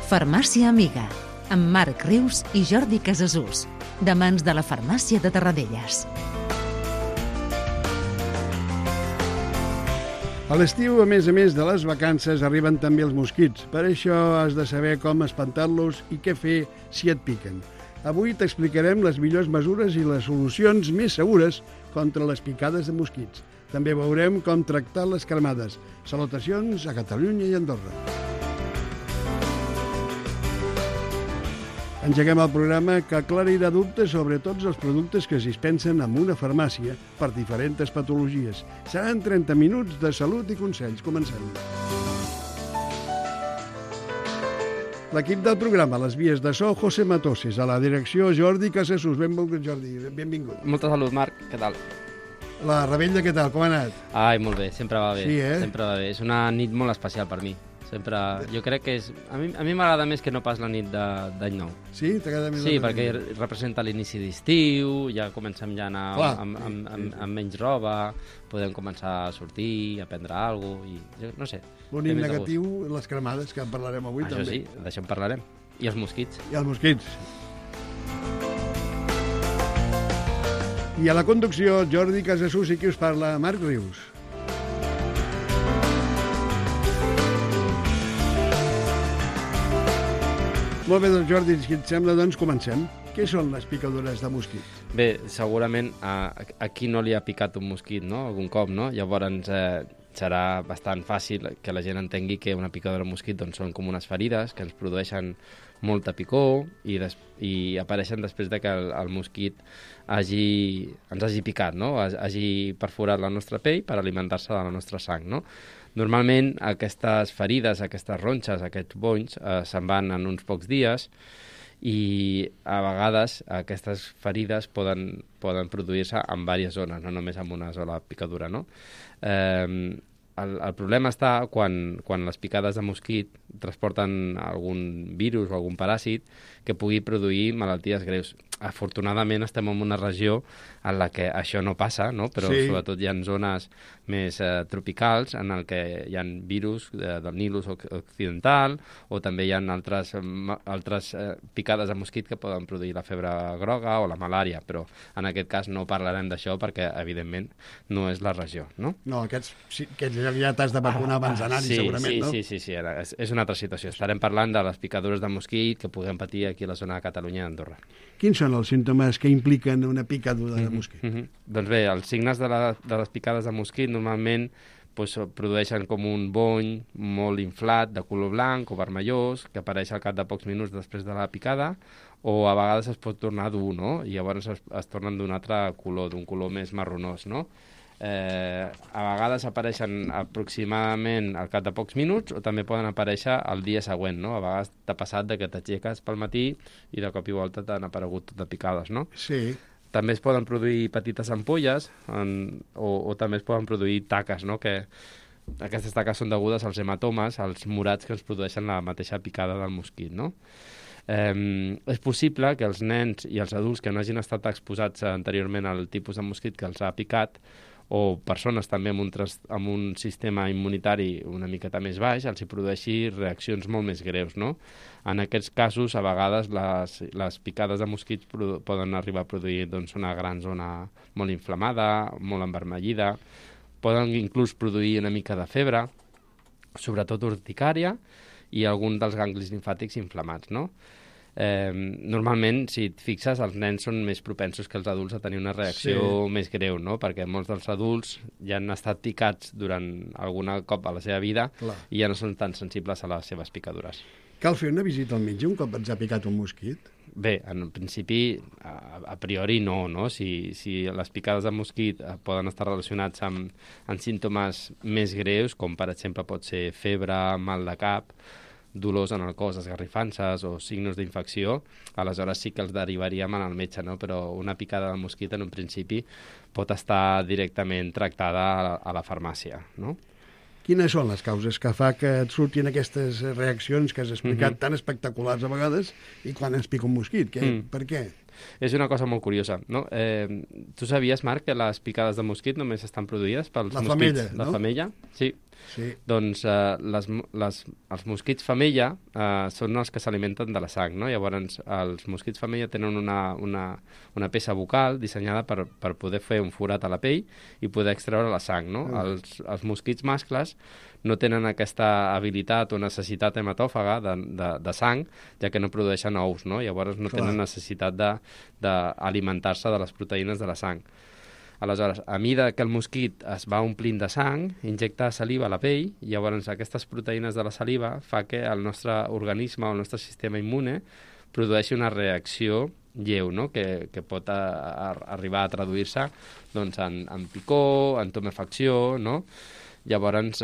Farmàcia Amiga, amb Marc Rius i Jordi Casasús, de mans de la Farmàcia de Tarradellas. A l'estiu, a més de les vacances, arriben també els mosquits. Per això has de saber com espantar-los i què fer si et piquen. Avui t'explicarem les millors mesures i les solucions més segures contra les picades de mosquits. També veurem com tractar les cremades. Salutacions a Catalunya i Andorra. Engeguem el programa que aclarirà dubtes sobre tots els productes que es dispensen en una farmàcia per diferents patologies. Seran 30 minuts de salut i consells. Comencem. L'equip del programa, a les vies de so, José Matoses, a la direcció, Jordi Casasús. Benvingut, Jordi. Benvingut. Molta salut, Marc. Què tal? La Rebella, què tal? Com ha anat? Ai, molt bé. Sempre va bé. Sí, Sempre va bé. És una nit molt especial per mi. Sempre... Jo crec que és... A mi m'agrada més que no pas la nit d'any nou. Sí? T'agrada més? Sí, perquè representa l'inici d'estiu, ja comencem ja a anar amb menys roba, podem començar a sortir, a prendre alguna cosa, i no sé. L'únic negatiu, les cremades, que en parlarem avui també. Això sí, d'això en parlarem. I els mosquits. I els mosquits. I a la conducció, Jordi Casasús i qui us parla, Marc Rius. Molt bé, doncs, Jordi, si et sembla, doncs comencem. Què són les picadures de mosquit? Bé, segurament a qui no li ha picat un mosquit, no?, algun cop, no? Llavors serà bastant fàcil que la gent entengui que una picadura de mosquit doncs, són com unes ferides que ens produeixen molta picor i apareixen després de que el mosquit ens hagi picat, no? Hagi perforat la nostra pell per alimentar-se de la nostra sang, no? Normalment aquestes ferides, aquestes ronxes, aquests bonys se'n van en uns pocs dies i a vegades aquestes ferides poden produir-se en diverses zones, no només en una sola picadura, no? El problema està quan les picades de mosquit transporten algun virus o algun paràsit que pugui produir malalties greus. Afortunadament estem en una regió en la que això no passa, no? Però sí. Sobretot hi ha zones més tropicals en el que hi ha virus del Nilus occidental o també hi ha altres picades de mosquit que poden produir la febre groga o la malària, però en aquest cas no parlarem d'això perquè evidentment no és la regió, no? No, aquests ja t'has de vacunar abans d'anar-hi, segurament, no? Sí, és una altra situació. Estarem parlant de les picadures de mosquit que puguem patir aquí a la zona de Catalunya i Andorra. Quins són els símptomes que impliquen una picadura de mosquit? Doncs bé, els signes de les picades de mosquit normalment produeixen com un bony molt inflat de color blanc o vermellós que apareix al cap de pocs minuts després de la picada o a vegades es pot tornar dur, no? I llavors es tornen d'un altre color, d'un color més marronós, no? A vegades apareixen aproximadament al cap de pocs minuts o també poden aparèixer el dia següent, no? A vegades t'ha passat que t'aixeques pel matí i de cop i volta t'han aparegut tot de picades, no? Sí. També es poden produir petites ampolles o també es poden produir taques, no? Que aquestes taques són degudes als hematomes, als morats que ens produeixen la mateixa picada del mosquit, no? És possible que els nens i els adults que no hagin estat exposats anteriorment al tipus de mosquit que els ha picat o persones també amb un sistema immunitari una miqueta més baix, els hi produeixi reaccions molt més greus, no? En aquests casos, a vegades, les picades de mosquits poden arribar a produir una gran zona molt inflamada, molt envermellida, poden inclús produir una mica de febre, sobretot urticària, i algun dels ganglis limfàtics inflamats, no? Normalment, si et fixes, els nens són més propensos que els adults a tenir una reacció més greu, no? Perquè molts dels adults ja han estat picats durant algun cop a la seva vida i ja no són tan sensibles a les seves picadures. Cal fer una visita al metge un cop ens ha picat un mosquit? Bé, en principi, a priori no? Si les picades de mosquit poden estar relacionats amb símptomes més greus, com per exemple pot ser febre, mal de cap, dolors en el cos, esgarrifances o signos d'infecció, aleshores sí que els derivaríem al metge, no? Però una picada de mosquit en un principi pot estar directament tractada a la farmàcia, no? Quines són les causes que fa que et surtin aquestes reaccions que has explicat tan espectaculars a vegades i quan ens pica un mosquit? Per què? és una cosa molt curiosa, no? Tu sabies, Marc, que les picades de mosquit només estan produïdes pels mosquits? Femella, no? La femella, sí. Sí. Doncs els mosquits femella són els que s'alimenten de la sang, no? Llavors, els mosquits femella tenen una peça bucal dissenyada per poder fer un forat a la pell i poder extreure la sang, no? Els mosquits mascles no tenen aquesta habilitat o necessitat hematòfaga de sang, ja que no produeixen ous, no? Llavors no tenen necessitat d'alimentar-se de les proteïnes de la sang. Aleshores, a mida que el mosquit es va omplint de sang, injecta saliva a la pell, i llavors aquestes proteïnes de la saliva fa que el nostre organisme o el nostre sistema immune produeixi una reacció lleu, no? que pot arribar a traduir-se doncs, en picor, en tumefacció, no? Llavors,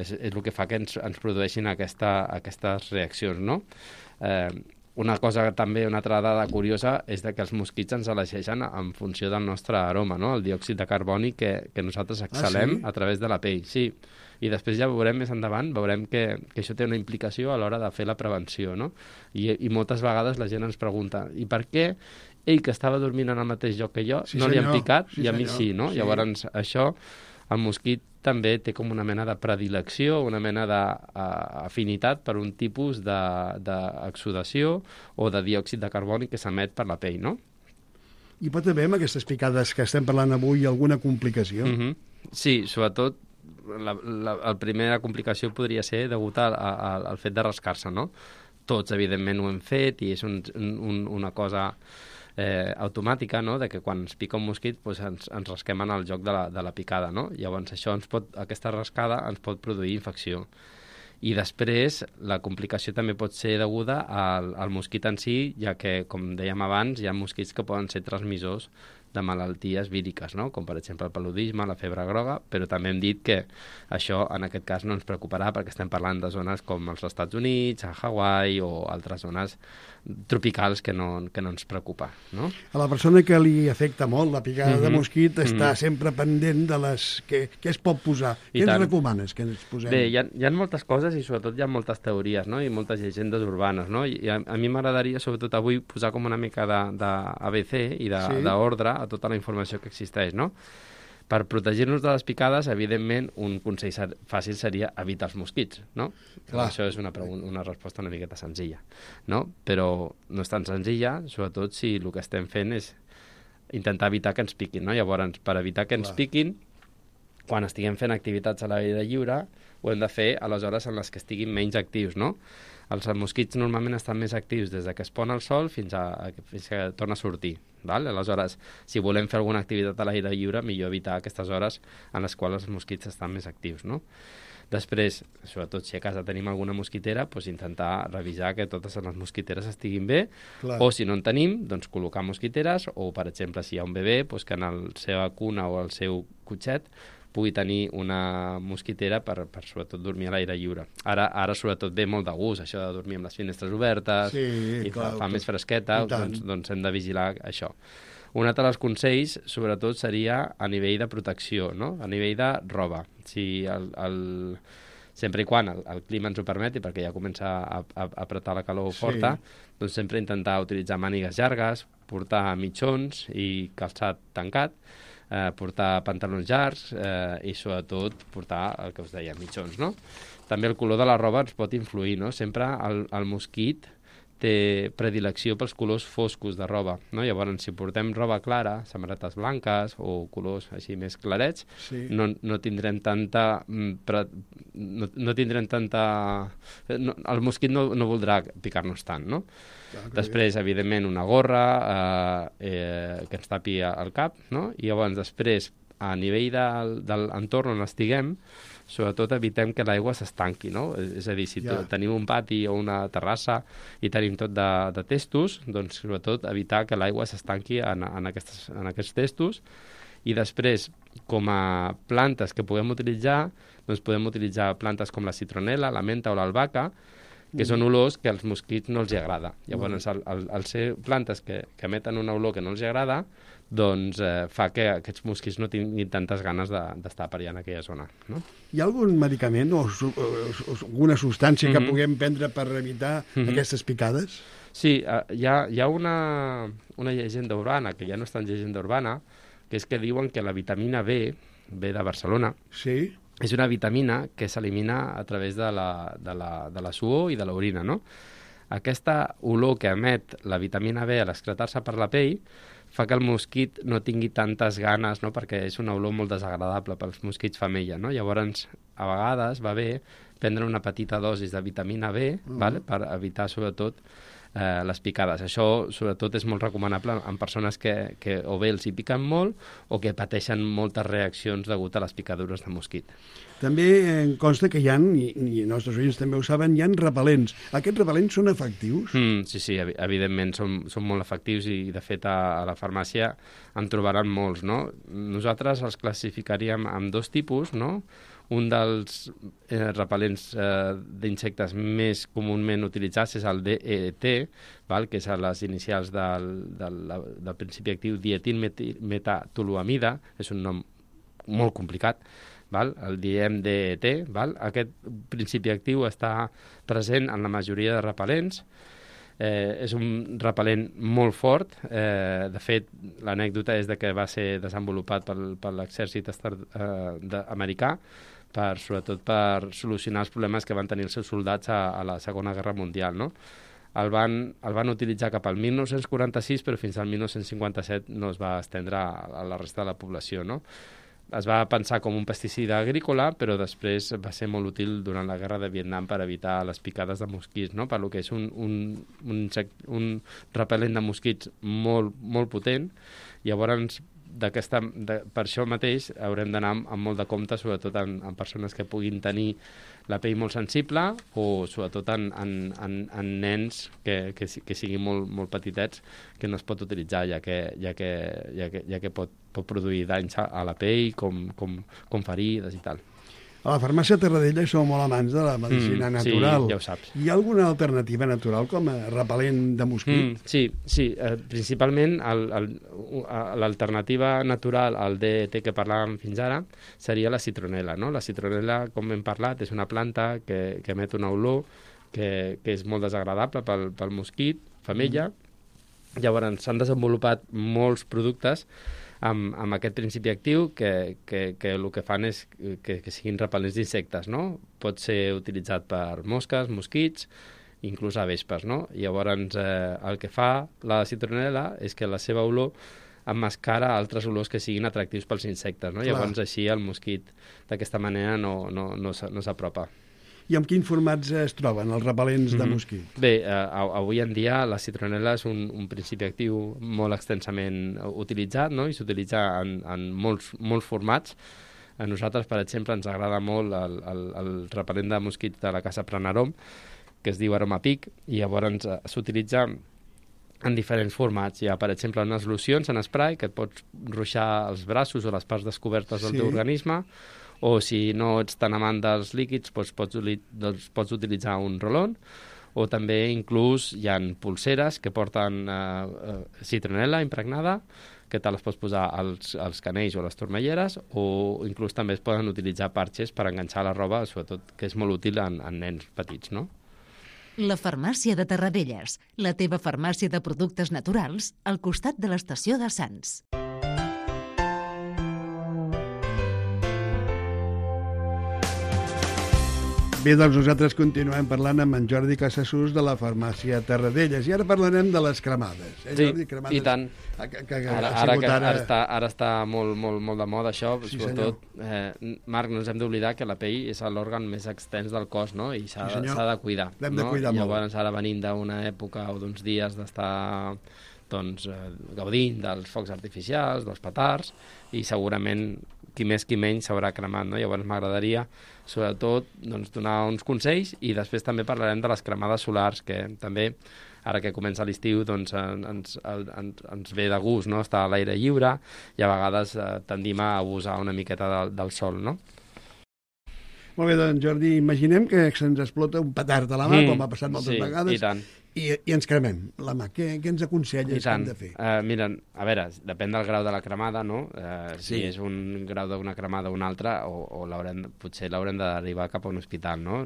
és el que fa que ens produeixin aquestes reaccions, no? Una altra dada curiosa és que els mosquits ens elegeixen en funció del nostre aroma, no? El diòxid de carboni que nosaltres exhalem a través de la pell, sí. I després ja veurem més endavant, que això té una implicació a l'hora de fer la prevenció, no? I moltes vegades la gent ens pregunta, i per què ell, que estava dormint en el mateix lloc que jo, no li han picat i a mi sí, no? Sí. Llavors, això, el mosquit també té com una mena de predilecció, una mena d'afinitat per un tipus d'exudació o de diòxid de carboni que s'emet per la pell, no? I pot haver, amb aquestes picades que estem parlant avui, alguna complicació? Sí, sobretot la primera complicació podria ser degut al fet de rascar-se, no? Tots, evidentment, ho hem fet i és una cosa automàtica, no? De que quan ens pica un mosquit doncs ens rasquem en el joc de la picada, no? Llavors aquesta rascada ens pot produir infecció. I després la complicació també pot ser deguda al mosquit en si, ja que, com dèiem abans, hi ha mosquits que poden ser transmissors de malalties víriques, no? Com per exemple el paludisme, la febre groga, però també hem dit que això en aquest cas no ens preocuparà perquè estem parlant de zones com els Estats Units, a Hawaii o altres zones tropicals que no ens preocupa, no? A la persona que li afecta molt la picada de mosquit està sempre pendent de què es pot posar. Què ens recomanes que ens posem? Bé, hi ha moltes coses i sobretot hi ha moltes teories, no? I moltes llegendes urbanes, no? I a mi m'agradaria sobretot avui posar com una mica d'ABC i d'ordre a tota la informació que existeix, no? Per protegir-nos de les picades, evidentment, un consell fàcil seria evitar els mosquits, no? Clar. Això és una resposta una miqueta senzilla, no? Però no és tan senzilla, sobretot si el que estem fent és intentar evitar que ens piquin, no? Llavors, per evitar que ens piquin, quan estiguem fent activitats a l'aire lliure, ho hem de fer a les hores en les que estiguin menys actius, no? Els mosquits normalment estan més actius des que es pon el sol fins que torna a sortir. Val? Aleshores, si volem fer alguna activitat a l'aire lliure, millor evitar aquestes hores en les quals els mosquits estan més actius, no? Després, sobretot si a casa tenim alguna mosquitera, doncs intentar revisar que totes les mosquiteres estiguin bé. Clar. O si no en tenim, doncs col·locar mosquiteres, o per exemple, si hi ha un bebè, doncs que en la seva cuna o el seu cotxet pugui tenir una mosquitera per sobretot dormir a l'aire lliure. Ara sobretot ve molt de gust, això de dormir amb les finestres obertes, i clar, fa més fresqueta, doncs hem de vigilar això. Un altre dels consells, sobretot, seria a nivell de protecció, no? A nivell de roba. Si sempre i quan el clima ens ho permeti, perquè ja comença a apretar la calor forta, doncs sempre intentar utilitzar mànigues llargues, portar mitjons i calçat tancat, portar pantalons llargs i sobretot portar el que us deia, mitjons, no? També el color de la roba ens pot influir, no? Sempre el mosquit té predilecció pels colors foscos de roba, no? Llavors, si portem roba clara, samarretes blanques o colors així més clarets, no tindrem tanta... el mosquit no voldrà picar-nos tant, no? Després, evidentment, una gorra que ens tapi el cap, no? I llavors, després, a nivell de l'entorn on estiguem, sobretot evitem que l'aigua s'estanqui, no? És a dir, si tenim un pati o una terrassa i tenim tot de testos, doncs sobretot evitar que l'aigua s'estanqui en aquests testos. I després, com a plantes que puguem utilitzar, doncs podem utilitzar plantes com la citronela, la menta o l'albahaca, que són olors que als mosquits no els agrada. Llavors, al ser plantes que emeten una olor que no els agrada, doncs fa que aquests mosquits no tinguin tantes ganes d'estar per allà en aquella zona, no? Hi ha algun medicament o alguna substància que puguem prendre per evitar aquestes picades? Sí, hi ha una llegenda urbana, que ja no és tan llegenda urbana, que és que diuen que la vitamina B de Barcelona, Sí? és una vitamina que s'elimina a través de la suor i de l'orina, no? Aquesta olor que emet la vitamina B a l'excretar-se per la pell fa que el mosquit no tingui tantes ganes, no? Perquè és una olor molt desagradable pels mosquits femella, no? Llavors, a vegades va bé prendre una petita dosis de vitamina B, vale? Per evitar, sobretot, les picades. Això, sobretot, és molt recomanable en persones que o bé els hi piquen molt o que pateixen moltes reaccions degut a les picadures de mosquit. També em consta que hi ha, i els nostres oients també ho saben, hi ha repel·lents. Aquests repel·lents són efectius? Sí, evidentment són molt efectius i de fet a la farmàcia en trobaran molts, no? Nosaltres els classificaríem en dos tipus, no? Un dels repel·lents d'insectes més comúment utilitzats és el DET, que és a les inicials del principi actiu dietilmetatoluamida, és un nom molt complicat, el diem DET. Aquest principi actiu està present en la majoria de repel·lents. És un repel·lent molt fort. De fet, l'anècdota és que va ser desenvolupat per l'exèrcit americà, sobretot per solucionar els problemes que van tenir els seus soldats a la Segona Guerra Mundial, no? El van utilitzar cap al 1946, però fins al 1957 no es va estendre a la resta de la població, no? Es va pensar com un pesticida agrícola, però després va ser molt útil durant la Guerra de Vietnam per evitar les picades de mosquits, no? Per lo que és un repel·lent de mosquits molt, molt potent. Llavors, per això mateix haurem d'anar amb molt de compte, sobretot en persones que puguin tenir la pell molt sensible o sobretot en nens que siguin molt petitets, que no es pot utilitzar, ja que pot produir danys a la pell, com ferides i tal. A la farmàcia Terradella sou molt amants de la medicina natural. Sí, ja ho saps. Hi ha alguna alternativa natural com a repel·lent de mosquit? Sí. Principalment l'alternativa natural al DET que parlàvem fins ara seria la citronel·la, no? La citronel·la, com hem parlat, és una planta que emet una olor que és molt desagradable pel mosquit femella. Llavors s'han desenvolupat molts productes amb aquest principi actiu que el que fan és que siguin repel·lents d'insectes, no? Pot ser utilitzat per mosques, mosquits, inclús a vespes, no? Llavors, el que fa la citronel·la és que la seva olor emmascara altres olors que siguin atractius pels insectes, no? Llavors, així el mosquit d'aquesta manera no s'apropa. I en quins formats es troben els repel·lents de mosquit? Bé, avui en dia la citronel·la és un principi actiu molt extensament utilitzat, no? I s'utilitza en molts formats. A nosaltres, per exemple, ens agrada molt el repel·lent de mosquits de la casa Pranarom, que es diu Aromapic, i llavors s'utilitza en diferents formats. Hi ha, per exemple, unes locions en spray que et pots ruixar els braços o les parts descobertes del teu organisme, o si no ets tan amant dels líquids, doncs pots utilitzar un rolón, o també inclús hi ha pulseres que porten citronel·la impregnada, que te les pots posar als canells o a les turmelleres, o inclús també es poden utilitzar parxes per enganxar la roba, sobretot que és molt útil en nens petits, no? La farmàcia de Terradelles, la teva farmàcia de productes naturals al costat de l'estació de Sants. Bé, doncs nosaltres continuem parlant amb en Jordi Casassús de la farmàcia Terradelles i ara parlarem de les cremades. Jordi? Cremades, i tant. Ara està molt de moda això, sí, sobretot, Marc, no ens hem d'oblidar que la pell és l'òrgan més extens del cos, no? I s'ha de cuidar. L'hem de cuidar molt. Llavors ara venim d'una època o d'uns dies d'estar gaudint dels focs artificials, dels petards, i segurament qui més qui menys s'haurà cremat, no? Llavors m'agradaria sobretot donar uns consells i després també parlarem de les cremades solars, que també ara que comença l'estiu ens ve de gust, no? Estar a l'aire lliure i a vegades tendim a abusar una miqueta del sol, no? Molt bé, doncs Jordi, imaginem que se'ns explota un petard a la mà, com ha passat moltes vegades, I ens cremem la mà. Què ens aconselles que hem de fer? Mira, a veure, depèn del grau de la cremada, no? Sí. Si és un grau d'una cremada o una altra, o potser l'haurem de derivar cap a un hospital, no?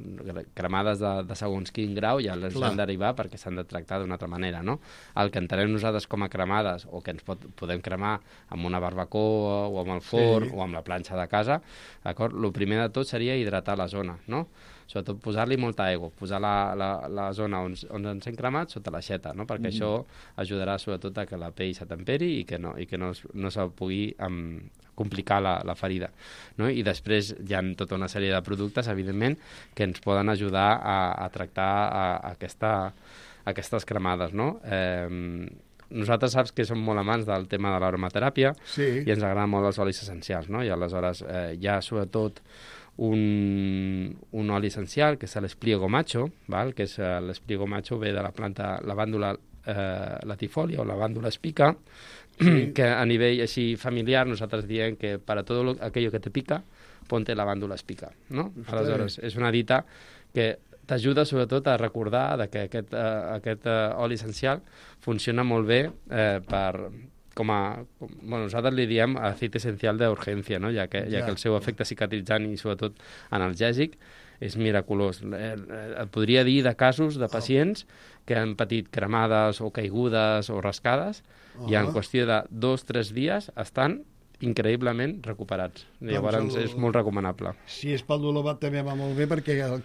Cremades de segons quin grau ja les han de derivar perquè s'han de tractar d'una altra manera, no? El que entenem nosaltres com a cremades, o que ens podem cremar amb una barbacoa, o amb el forn, o amb la planxa de casa, d'acord? El primer de tot seria hidratar la zona, no? Sobretot posar-li molta aigua, posar la zona on ens hem cremat sota l'aixeta, no? Perquè això ajudarà sobretot a que la pell s'atemperi i que no se pugui complicar la ferida, no? I després hi ha tota una sèrie de productes, evidentment, que ens poden ajudar a tractar aquestes cremades, no? Nosaltres saps que som molt amants del tema de l'aromateràpia i ens agraden molt els olis essencials, no? I aleshores hi ha sobretot un oli essencial que és l'espliego macho, val? Que és l'espliego macho ve de la planta lavàndula latifolia o lavàndula spica, que a nivell així familiar nosaltres diem que para todo aquello que te pica, ponte lavàndula spica, no? Aleshores, és una dita que t'ajuda sobretot a recordar que aquest oli essencial funciona molt bé bueno, nosaltres li diem aceite essencial d'urgència, no? ja que el seu efecte cicatritzant i sobretot analgèsic és miraculós. Et podria dir de casos de pacients que han patit cremades o caigudes o rascades i en qüestió de 2-3 dies estan increïblement recuperats. Llavors és molt recomanable. Si és pel dolor també va molt bé perquè el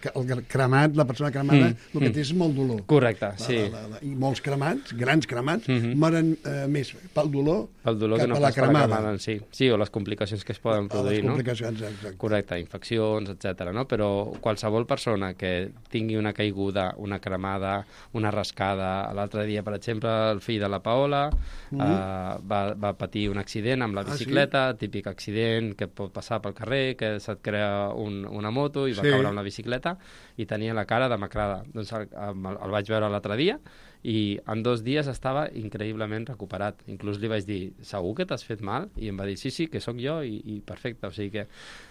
cremat, la persona cremada, el que té és molt dolor. Correcte, sí. I molts cremats, grans cremats, moren més pel dolor que no pas per la cremada en si. Sí, o les complicacions que es poden produir, no? Les complicacions, exacte. Correcte, infeccions, etc. No? Però qualsevol persona que tingui una caiguda, una cremada, una rascada... L'altre dia, per exemple, el fill de la Paola va patir un accident amb la bicicleta, típic accident que pot passar pel carrer, que se't crea una moto i va caure amb la bicicleta i tenia la cara demacrada. Doncs el vaig veure l'altre dia i en 2 dies estava increïblement recuperat. Inclús li vaig dir, segur que t'has fet mal? I em va dir, sí, que sóc jo i perfecte. O sigui que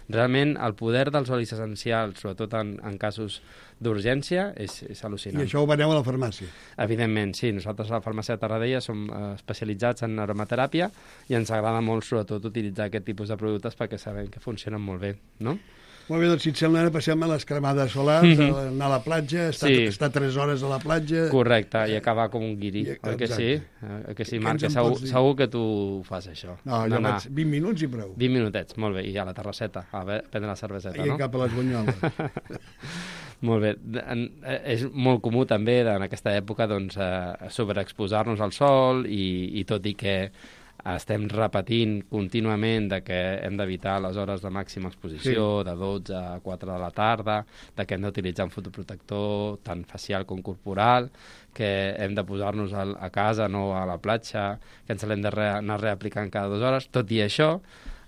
realment el poder dels olis essencials, sobretot en casos d'urgència, és al·lucinant. I això ho veneu a la farmàcia? Evidentment, sí. Nosaltres a la farmàcia de Tarradella som especialitzats en aromateràpia i ens agrada molt, sobretot, utilitzar aquest tipus de productes perquè sabem que funcionen molt bé, no? Molt bé, doncs si et sembla, ara passem a les cremades solars, anar a la platja, estar 3 hores a la platja... Correcte, i acabar com un guiri, oi que sí? Que sí, Marc, segur que tu fas això. No, jo vaig 20 minuts i prou. 20 minutets, molt bé, i a la terrasseta, a prendre la cerveseta, no? I cap a les bunyoles. Molt bé. És molt comú també en aquesta època doncs, sobreexposar-nos al sol i tot i que estem repetint contínuament de que hem d'evitar les hores de màxima exposició, de 12 a 4 de la tarda, de que hem d'utilitzar un fotoprotector tant facial com corporal, que hem de posar-nos a casa, no a la platja, que ens l'hem d'anar reaplicant cada 2 hores. Tot i això,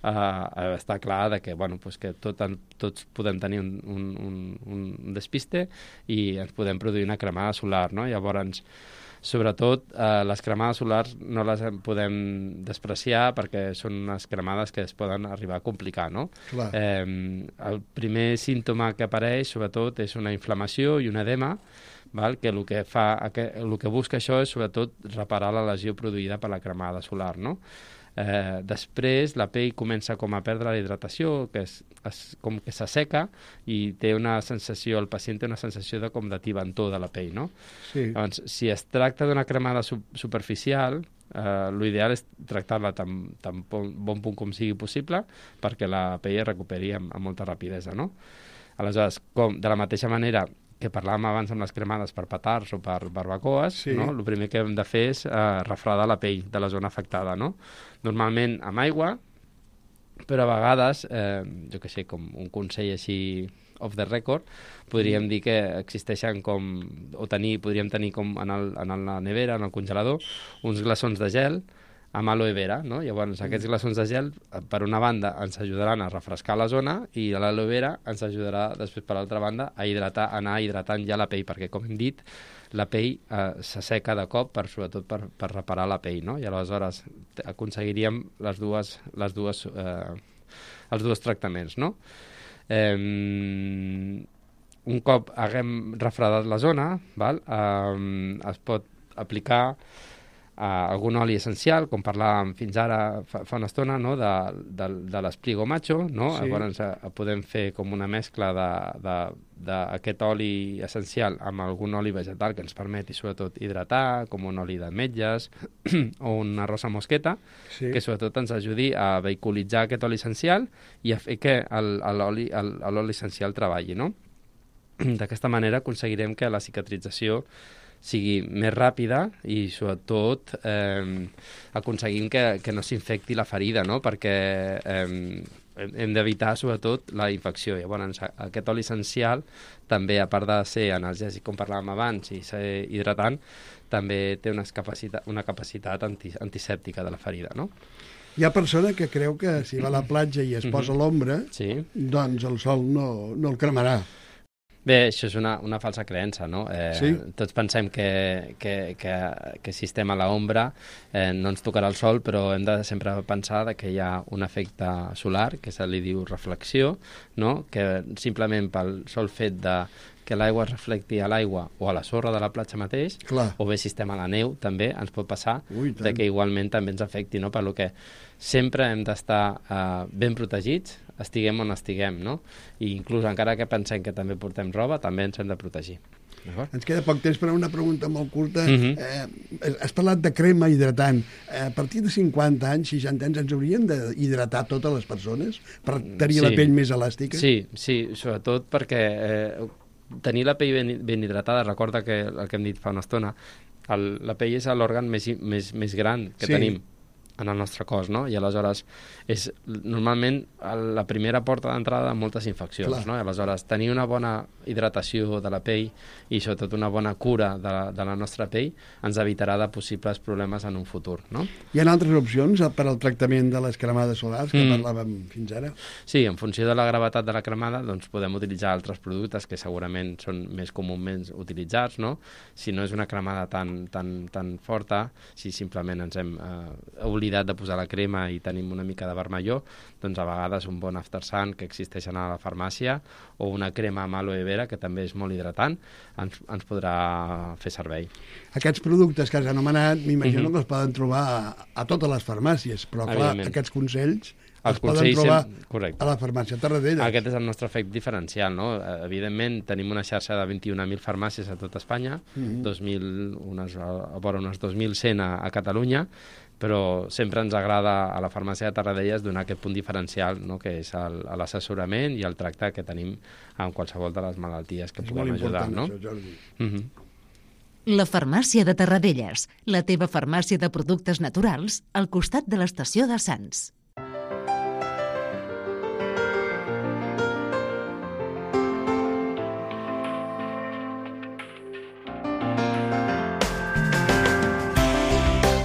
està clar de que, bueno, pues que tots podem tenir un despiste i ens podem produir una cremada solar, no? Llavors, sobretot, les cremades solars no les podem despreciar perquè són unes cremades que es poden arribar a complicar, no? El primer símptoma que apareix, sobretot, és una inflamació i un edema, que el que busca això és, sobretot, reparar la lesió produïda per la cremada solar, no? Després la pell comença com a perdre la hidratació, que com que s'asseca i té una sensació, el pacient té una sensació com de tibantor de la pell, no? Llavors, si es tracta d'una cremada superficial, l'ideal és tractar-la tan bon punt com sigui possible perquè la pell es recuperi amb molta rapidesa, no? Aleshores, de la mateixa manera que parlàvem abans amb les cremades per petards o per barbacoes, no? El primer que hem de fer és refredar la pell de la zona afectada, no? Normalment amb aigua, però a vegades, jo què sé, com un consell així off the record, podríem dir que existeixen podríem tenir com en la nevera, en el congelador, uns glaçons de gel amb aloe vera, no? Llavors, aquests glaçons de gel, per una banda, ens ajudaran a refrescar la zona i l'aloe vera ens ajudarà, després, per l'altra banda, a anar hidratant ja la pell, perquè, com hem dit, la pell s'asseca de cop, sobretot per reparar la pell, no? I aleshores aconseguiríem els dos tractaments, no? un cop haguem refredat la zona, val? Es pot aplicar algun oli essencial, com parlàvem fins ara fa una estona, no? de l'espligo macho, no? Sí. Llavors podem fer com una mescla d'aquest oli essencial amb algun oli vegetal que ens permeti sobretot hidratar, com un oli d'ametlles o una rosa mosqueta, Sí. que sobretot ens ajudi a vehiculitzar aquest oli essencial i a fer que l'oli essencial treballi, no? D'aquesta manera aconseguirem que la cicatrització sigui més ràpida i, sobretot, aconseguim que no s'infecti la ferida, no? Perquè hem d'evitar, sobretot, la infecció. Llavors, aquest oli essencial, també, a part de ser analgèsic, com parlàvem abans, i ser hidratant, també té una capacitat antisèptica de la ferida, no? Hi ha persona que creu que si va a la platja i es posa a l'ombra, Sí. doncs el sol no el cremarà. Bé, això és una falsa creença, no? Sí? Tots pensem que si estem a l'ombra no ens tocarà el sol, però hem de sempre pensar que hi ha un efecte solar, que se li diu reflexió, no? Que simplement pel sol fet que l'aigua es reflecti a l'aigua o a la sorra de la platja mateix, Clar. o bé si estem a la neu, també ens pot passar Ui, tant. que igualment també ens afecti, no? Per lo que sempre hem d'estar ben protegits, estiguem on estiguem, no? I inclús encara que pensem que també portem roba, també ens hem de protegir. D'acord? Ens queda poc temps per a una pregunta molt curta. Has parlat de crema hidratant. A partir de 50 anys, 60 anys, ens haurien d'hidratar totes les persones per tenir la pell més elàstica? Sí, sobretot perquè tenir la pell ben hidratada, recorda que el que hem dit fa una estona, la pell és l'òrgan més gran que tenim en el nostre cos, no? I aleshores és normalment la primera porta d'entrada de moltes infeccions, Clar. no? I aleshores tenir una bona hidratació de la pell i sobretot una bona cura de la nostra pell ens evitarà de possibles problemes en un futur, no? Hi ha altres opcions per al tractament de les cremades solars que parlàvem fins ara? Sí, en funció de la gravetat de la cremada doncs podem utilitzar altres productes que segurament són més comúment utilitzats, no? Si no és una cremada tan forta, si simplement ens hem oblidat de posar la crema i tenim una mica de vermelló, doncs a vegades un bon after sun que existeixen a la farmàcia o una crema amb aloe vera, que també és molt hidratant, ens podrà fer servei. Aquests productes que has anomenat, m'imagino que els poden trobar a totes les farmàcies, però clar, aquests consells els poden trobar a la farmàcia Tarradellas. Aquest és el nostre efecte diferencial, no? Evidentment, tenim una xarxa de 21.000 farmàcies a tot Espanya, vora unes 2.100 a Catalunya, però sempre ens agrada a la farmàcia de Tarradellas donar aquest punt diferencial, no? Que és l'assessorament i el tracte que tenim amb qualsevol de les malalties que puguem ajudar. És molt important, això, Jordi. La farmàcia de Tarradellas, la teva farmàcia de productes naturals, al costat de l'estació de Sants.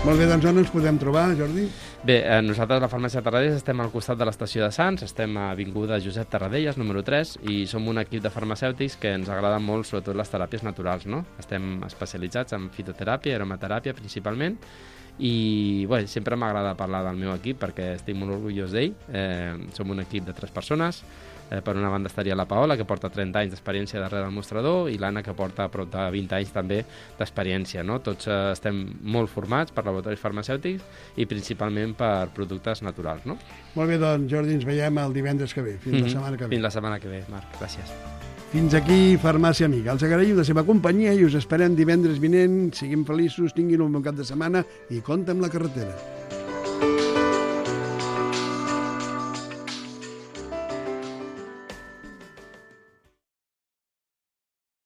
Molt bé, doncs on ens podem trobar, Jordi? Bé, nosaltres a la farmàcia de Tarradellas estem al costat de l'estació de Sants, estem a Avinguda Josep Tarradellas, número 3, i som un equip de farmacèutics que ens agraden molt, sobretot les teràpies naturals, no? Estem especialitzats en fitoteràpia, aromateràpia principalment, i bé, sempre m'agrada parlar del meu equip perquè estic molt orgullós d'ell. Som un equip de 3 persones. Per una banda estaria la Paola, que porta 30 anys d'experiència darrere del mostrador, i l'Anna, que porta prop de 20 anys també d'experiència, no? Tots estem molt formats per laboratoris farmacèutics i principalment per productes naturals, no? Molt bé, doncs, Jordi, ens veiem el divendres que ve. Fins la setmana que ve. Fins la setmana que ve, Marc. Gràcies. Fins aquí Farmàcia Amiga. Els agraïm la seva companyia i us esperem divendres vinent. Siguin feliços, tinguin un bon cap de setmana i compte amb la carretera.